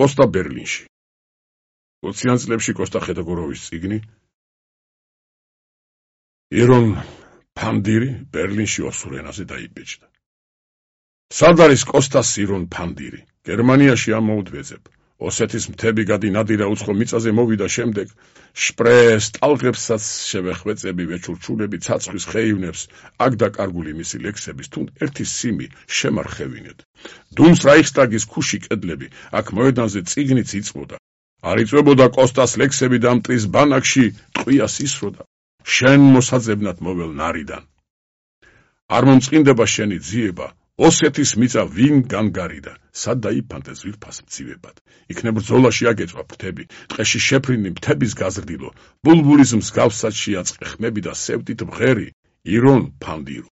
კოსტა ბერლინში. 20-იან წლებში კოსტა ხეთოგოროვის წიგნი, ირონ ფანდირი ბერლინში ოსურ ენაზე დაიბეჭდა. სად არის კოსტას ირონ ფანდირი? გერმანიაში ამოუდვეძებ. ოსეთის მთები გადინადირა უცხო მიწაზე მოვიდა შემდეგ, შპრეს ტალღებსაც შევეხვეწები ვეჩურჩულები ცაცხვის ხეივნებს, აქ დაკარგული მისი ლექსების თუნ ერთი სიმი შემარხევინეთ. დუმს რაიხსტაგის ქუში კედლები, აქ მოედანზე წიგნიც იწვოდა. არ იწვებოდა კოსტას ლექსები და მტრის ბანაკში ტყვიას ისროდა. შენ მოსაძებნად მოվել ნარიდან. არ მომწყინდება შენი ძიება, ოსეთის მიწა ვინ განგარიდა, სად დაიფანტე ზვირფას მცივებად. იქნებ ბრძოლაში აგეწვა ფრთები, ტყეში შეფრინდი მთების გაზრდილო, ბულბულის მსგავსად შეაწყე ხმები და სევდით მღერი, ირონ ფანდირო.